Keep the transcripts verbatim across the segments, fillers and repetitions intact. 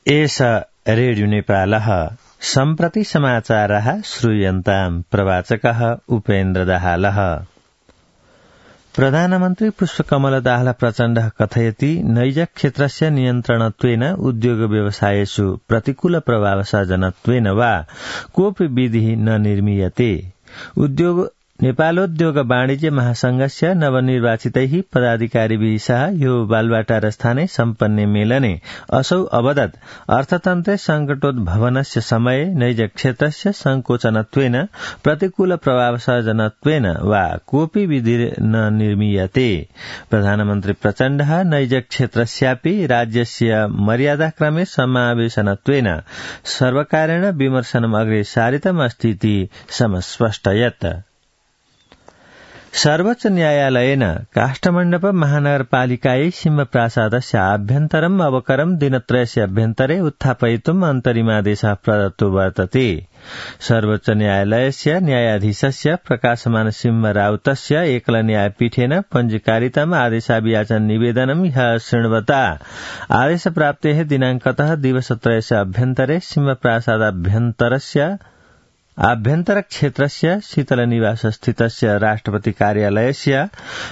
एष रेडियो नेपालः सम्प्रति समाचारः श्रूयन्ताम् प्रवाचकः उपेन्द्र दाहालः। प्रधानमन्त्री पुष्पकमल दाहाल प्रचण्डः कथयति नैज क्षेत्रस्य नियन्त्रणत्वेन उद्योग व्यवसायेषु प्रतिकूल प्रभावसर्जनत्वेन वा कोऽपि विधिः न निर्मीयते। उद्योग नेपालोद्योग वाणिज्य महासंघस्य नवनिर्वाचितैः पदाधिकारिभिः सह यो बालवाटार स्थाने सम्पन्ने मेलने असौ अवदत् अर्थतन्त्रे संकटोद्भवनस्य समये नैज क्षेत्रस्य संकोचनत्वेन प्रतिकूल प्रभावसर्जनत्वेन वा कोऽपि विधि न निर्मीयते। प्रधानमन्त्री प्रचण्डः नैज क्षेत्रस्यापि राज्यस्य मर्यादाक्रमे समावेशनत्वेन सर्वकारेण विमर्शनम् अग्रे सारितमस्तीति समस्पष्टयत्। सर्वोच्च न्यायालयेन काष्ठमण्डप महानगरपालिकायै सिंहप्रासादस्य आभ्यन्तरम् अवकरम् दिनत्रयस्य अभ्यन्तरे उत्थापयितुम् अन्तरिमादेशः प्रदत्तो वर्तते। सर्वोच्च न्यायालयस्य न्यायाधीशस्य प्रकाशमान सिंह राउतस्य एकल न्यायपीठेन पञ्जीकारितम् आदेशाभियाचन निवेदनम् ह्यः शृण्वता आदेशप्राप्तेः दिनाङ्कतः दिवसत्रयस्य अभ्यन्तरे सिंहप्रासादाभ्यन्तरस्य आभ्यन्तर क्षेत्रस्य शीतल निवास स्थितस्य राष्ट्रपति कार्यालयस्य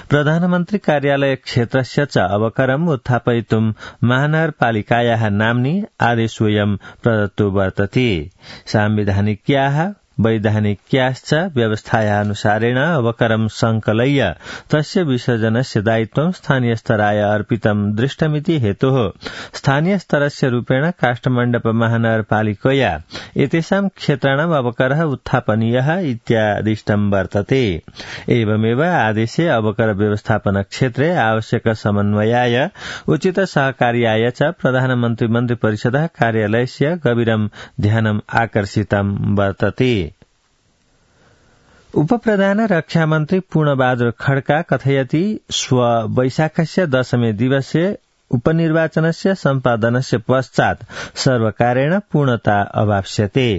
प्रधानमन्त्री कार्यालय क्षेत्रस्य च अवकरम् उत्थापयितुम् महानगरपालिकायाः नाम्नि आदेशोऽयं प्रदत्तो वर्तते। सांविधानिक्याः वैधानिक्याश्च व्यवस्थायाः अनुसारेण अवकरम् संकलय्य तस्य विसर्जनस्य दायित्वं स्थानीय स्तराय अर्पितं दृष्टमिति हेतोः स्थानीय स्तरस्य रूपेण काष्ठमण्डप महानगरपालिकया एतेषां क्षेत्राणाम् अवकरः उत्थापनीयः इत्यादिष्टं वर्तते। एवमेव आदेशे अवकर व्यवस्थापन क्षेत्रे आवश्यक समन्वयाय उचित सहकार्याय च प्रधानमन्त्री मन्त्रिपरिषदः कार्यालयस्य गभीरं ध्यानम् आकर्षितं वर्तते। उपप्रधान रक्षामन्त्री पूर्णबहादुर खड्का कथयति स्व वैशाखस्य दशमे दिवसे उपनिर्वाचनस्य सम्पादनस्य पश्चात् सर्वकारेण पूर्णता अवाप्स्यते।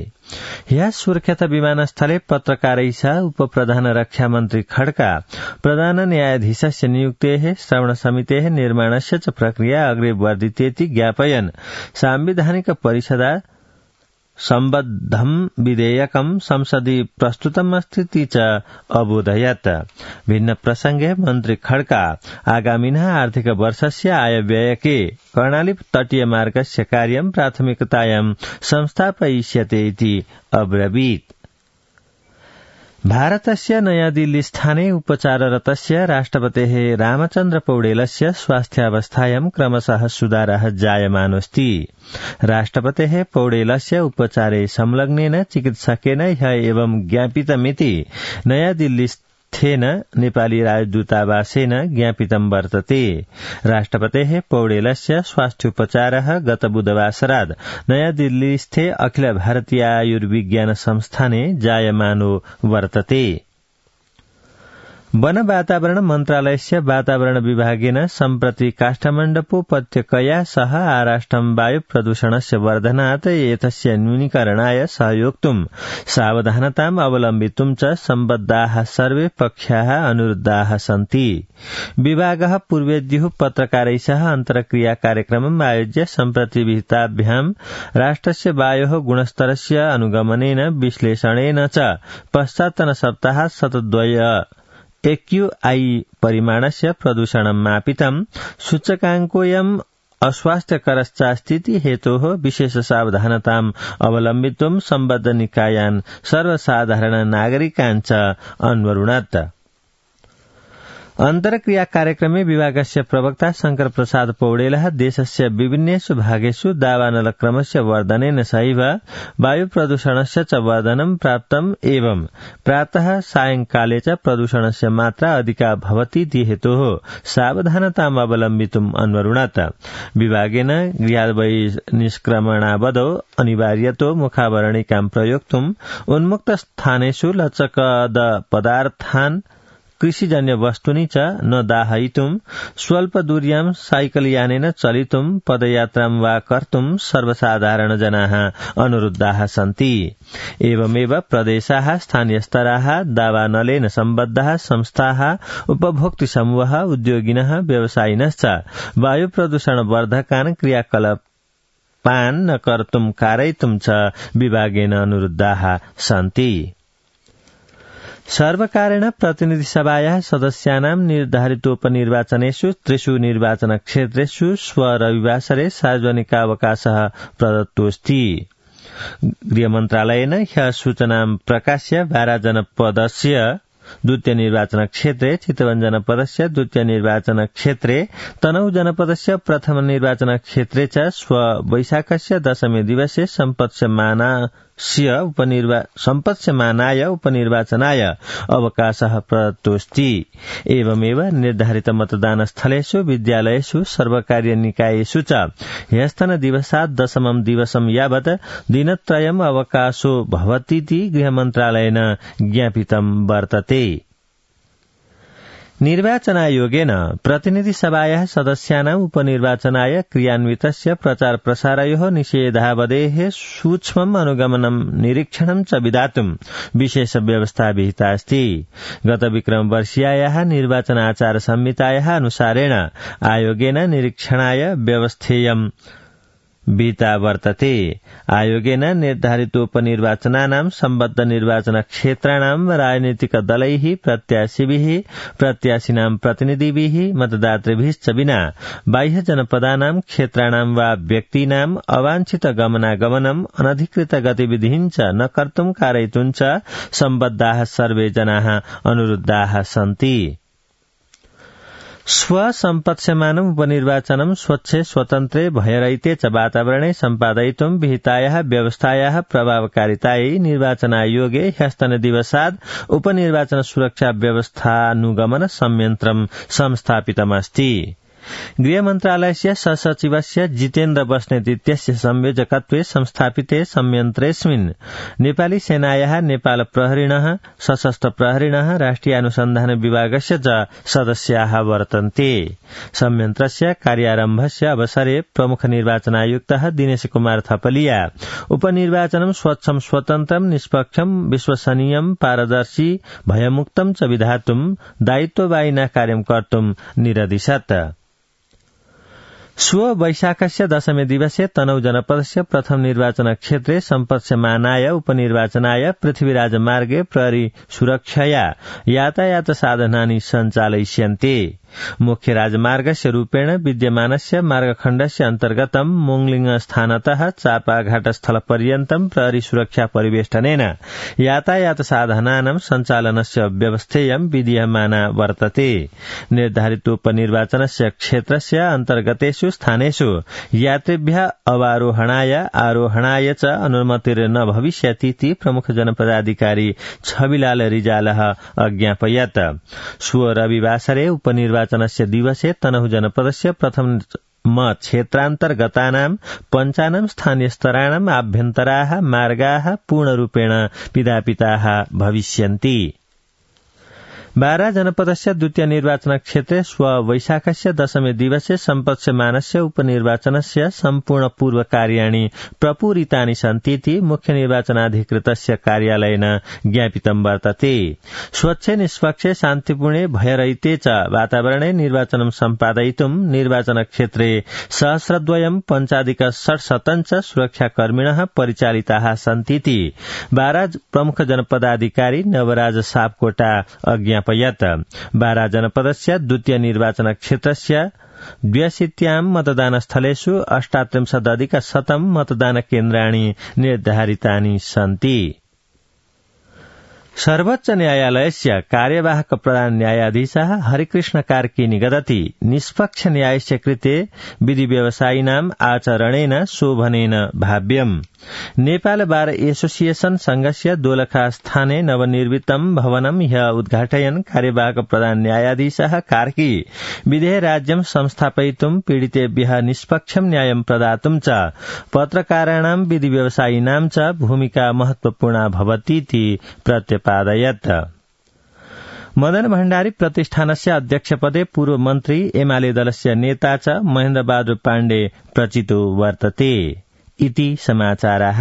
ह्यः सुर्खेत विमानस्थले पत्रकारैः सह उपप्रधान रक्षामन्त्री खड्का प्रधान न्यायाधीशस्य नियुक्तेः श्रवणसमितेः निर्माणस्य च प्रक्रिया अग्रे वर्धितेति ज्ञापयन् सांविधानिक परिषदा सम्बद्धं विधेयकं संसदि प्रस्तुतमस्तीति च अबोधयत्। भिन्न प्रसंगे मन्त्री खड्का आगामिनः आर्थिक वर्षस्य आयव्ययके कर्णाली तटीय मार्गस्य कार्यं प्राथमिकतायां संस्थापयिष्यते इति अब्रवीत्। भारतस्य नयादिल्लीस्थाने उपचाररतस्य राष्ट्रपतेः रामचन्द्र पौडेलस्य स्वास्थ्यावस्थायां क्रमशः सुधारः जायमानोऽस्ति। राष्ट्रपतेः पौडेलस्य उपचारे संलग्नेन चिकित्सकेन ह्यः एवं ज्ञापितमिति नयादिल्लीस्थेन नेपाली राजदूतावासेन ज्ञापितं वर्तते। राष्ट्रपतेः पौडेलस्य स्वास्थ्योपचारः गत बुधवासरात् नयादिल्लीस्थे अखिल भारतीय आयुर्विज्ञान संस्थाने जायमानो वर्तते। वन वातावरण मन्त्रालयस्य वातावरण विभागेन सम्प्रति काष्ठमण्डपोपत्यकया सह आराष्ट्रं वायु प्रदूषणस्य वर्धनात् एतस्य न्यूनीकरणाय सहयोक्तुं सावधानताम् अवलम्बितुं च सम्बद्धाः सर्वे पक्षाः अनुरुद्धाः सन्ति। विभागः पूर्वेद्युः पत्रकारैः सह अन्तर्क्रिया कार्यक्रमम् आयोज्य सम्प्रति विहिताभ्यां राष्ट्रस्य वायोः गुणस्तरस्य अनुगमनेन विश्लेषणेन च पश्चात्तन सप्ताहात् शतद्वय एक्यूआई परिमाणस्य प्रदूषणं मापितं। सूचकाङ्कोऽयम् अस्वास्थ्यकरश्चास्तीति हेतोः विशेष सावधानताम् अवलम्बितुं सम्बद्ध निकायान् सर्वसाधारण नागरिकान् च अन्वरुणत्। अन्तर्क्रिया कार्यक्रमे विभागस्य प्रवक्ता शंकर प्रसाद पौडेलः देशस्य विभिन्नेषु भागेषु दावानलक्रमस्य वर्धनेन सहैव वायु प्रदूषणस्य च वर्धनं प्राप्तम् एवं प्रातः सायंकाले च प्रदूषणस्य मात्रा अधिका भवति इति हेतोः सावधानताम् अवलम्बितुम् अन्वरुणत्। विभागेन गृहाद्बहिर्निष्क्रमणावधौ अनिवार्यतो मुखावरणिकां प्रयोक्तुम् उन्मुक्त स्थानेषु लचकद पदार्थान् कृषिजन्य वस्तूनि च न दाहयितुं स्वल्पदूर्यां साइकलयानेन चलितुं पदयात्रां वा कर्तुं सर्वसाधारण जनाः अनुरुद्धाः सन्ति। एवमेव प्रदेशाः स्थानीयस्तराः दावानलेन सम्बद्धाः संस्थाः उपभोक्तृ समूहः उद्योगिनः व्यवसायिनश्च वायु प्रदूषण वर्धकान् क्रियाकलाप पान् न कर्तुं कारयितुं च विभागेन अनुरुद्धाः सन्ति। सर्वकारेण प्रतिनिधिसभायाः सदस्यानां निर्धारितोपनिर्वाचनेषु त्रिषु निर्वाचनक्षेत्रेषु स्वरविवासरे सार्वजनिकावकाशः प्रदत्तोऽस्ति। गृहमन्त्रालयेन ह्यः सूचनां प्रकाश्य बारा जनपदस्य द्वितीय निर्वाचन क्षेत्रे चितवन जनपदस्य द्वितीय निर्वाचन क्षेत्रे तनहु जनपदस्य प्रथम निर्वाचन क्षेत्रे च स्व वैशाखस्य दशमे दिवसे सम्पत्स्यमानास्य उपनिर्वा सम्पत्स्यमानाय उपनिर्वाचनाय अवकाशः प्रदत्तोऽस्ति। एवमेव निर्धारित मतदान स्थलेषु विद्यालयेषु सर्वकारीय निकायेषु च ह्यस्तन दिवसात् दशमं दिवसं यावत् दिनत्रयम् अवकाशो भवतीति गृहमन्त्रालयेन ज्ञापितं वर्तते। निर्वाचनायोगेन प्रतिनिधिसभायाः सदस्यानाम् उपनिर्वाचनाय क्रियान्वितस्य प्रचार प्रसारयोः निषेधावधेः सूक्ष्मम् अनुगमनं निरीक्षणं च विधातुं विशेष व्यवस्था विहिता अस्ति। गत विक्रमवर्षीयायाः निर्वाचन आचार संहितायाः अनुसारेण आयोगेन निरीक्षणाय व्यवस्थेयं विहिता वर्तते। आयोगेन निर्धारितोपनिर्वाचनानां सम्बद्ध निर्वाचन क्षेत्राणां राजनीतिक दलैः प्रत्याशिभिः प्रत्याशिनां प्रतिनिधिभिः मतदातृभिश्च विना बाह्य जनपदानां क्षेत्राणां वा व्यक्तीनाम् अवांछित गमनागमनम् अनधिकृत गतिविधिं च न कर्तुं कारयितुं च सम्बद्धाः सर्वे जनाः अनुरुद्धाः सन्ति। स्वसम्पत्स्यमानम् उपनिर्वाचनं स्वच्छे स्वतन्त्रे भयरहिते च वातावरणे सम्पादयितुं विहितायाः व्यवस्थायाः प्रभावकारितायै निर्वाचनायोगे ह्यस्तनदिवसात् उपनिर्वाचन सुरक्षा व्यवस्थानुगमन संयन्त्रं संस्थापितमस्ति। गृहमन्त्रालयस्य सहसचिवस्य जितेन्द्र बस्नेत इत्यस्य संयोजकत्वे संस्थापिते संयन्त्रेऽस्मिन् नेपाली सेनायाः नेपाल प्रहरिणः सशस्त्र प्रहरिणः राष्ट्रिय अनुसन्धान विभागस्य च सदस्याः वर्तन्ते। संयन्त्रस्य कार्यारम्भस्य अवसरे प्रमुख निर्वाचनायुक्तः दिनेश कुमार थपलिया उपनिर्वाचनं स्वच्छं स्वतन्त्रं निष्पक्षं विश्वसनीयं पारदर्शी भयमुक्तं च विधातुं दायित्ववाहिना कार्यं कर्तुं निरदिशत्। स्व वैशाखस्य दशमे दिवसे तनहु जनपदस्य प्रथम निर्वाचन क्षेत्रे सम्पत्स्यमानाय उपनिर्वाचनाय पृथ्वीराजमार्गे प्रहरी सुरक्षया यातायात साधनानि सञ्चालयिष्यन्ते। मुख्य राजमार्गस्य रूपेण विद्यमानस्य मार्गखण्डस्य अन्तर्गतं मोङलिङ स्थानतः चापाघाट स्थलपर्यन्तं प्रहरी सुरक्षा परिवेष्टनेन यातायात साधनानां सञ्चालनस्य व्यवस्थेयं विधीयमाना वर्तते। निर्धारितोपनिर्वाचनस्य क्षेत्रस्य अन्तर्गतेषु स्थानेषु यात्रिभ्यः अवारोहणाय आरोहणाय च अनुमतिर्न भविष्यतीति प्रमुख जनपदाधिकारी छविलाल रिजालः अज्ञापयत्। स्व रविवासरे उपनिर्वाचन निर्वाचनस्य दिवसे तनहु जनपदस्य प्रथम क्षेत्रान्तर्गतानां पञ्चानां स्थानीयस्तराणाम् आभ्यन्तराः मार्गाः पूर्णरूपेण पिधापिताः भविष्यन्ति। बारा जनपदस्य द्वितीय निर्वाचन क्षेत्रे स्व वैशाखस्य दशमे दिवसे सम्पत्स्यमानस्य उपनिर्वाचनस्य सम्पूर्ण पूर्व कार्याणि प्रपूरितानि सन्तीति मुख्य निर्वाचनाधिकृतस्य कार्यालयेन ज्ञापितं वर्तते। स्वच्छे निष्पक्षे शान्तिपूर्णे भयरहिते च वातावरणे निर्वाचनं सम्पादयितुं निर्वाचन क्षेत्रे सहस्रद्वयं पञ्चाधिक षट्शतं च सुरक्षाकर्मिणः परिचालिताः सन्तीति बारा प्रमुख जनपदाधिकारी नवराज सापकोटा अज्ञापयत्। बारा जनपदस्य द्वितीय निर्वाचन क्षेत्रस्य द्व्यशीत्यां मतदानस्थलेषु अष्टात्रिंशदधिक शतं मतदानकेन्द्राणि निर्धारितानि सन्ति। सर्वोच्च न्यायालयस्य कार्यवाहक प्रधान न्यायाधीशः हरिकृष्ण कार्की निगदति निष्पक्ष न्यायस्य कृते विधि व्यवसायिनाम् आचरणेन शोभनेन भाव्यम्। नेपाल बार एसोसिएशन संघस्य दोलखा स्थाने नवनिर्मितं भवनं ह्यः उद्घाटयन् कार्यवाहक प्रधान न्यायाधीशः कार्की विधेय राज्यं संस्थापयितुं पीडितेभ्यः निष्पक्षं न्यायं प्रदातुं च पत्रकाराणां विधि व्यवसायिनां च भूमिका महत्वपूर्णा भवतीति प्रत्यपादयत्। मदन भण्डारी प्रतिष्ठानस्य अध्यक्षपदे पूर्व मन्त्री एमाले दलस्य नेता च महेन्द्र बहादुर पाण्डे प्रचितो वर्तते इति समाचाराः।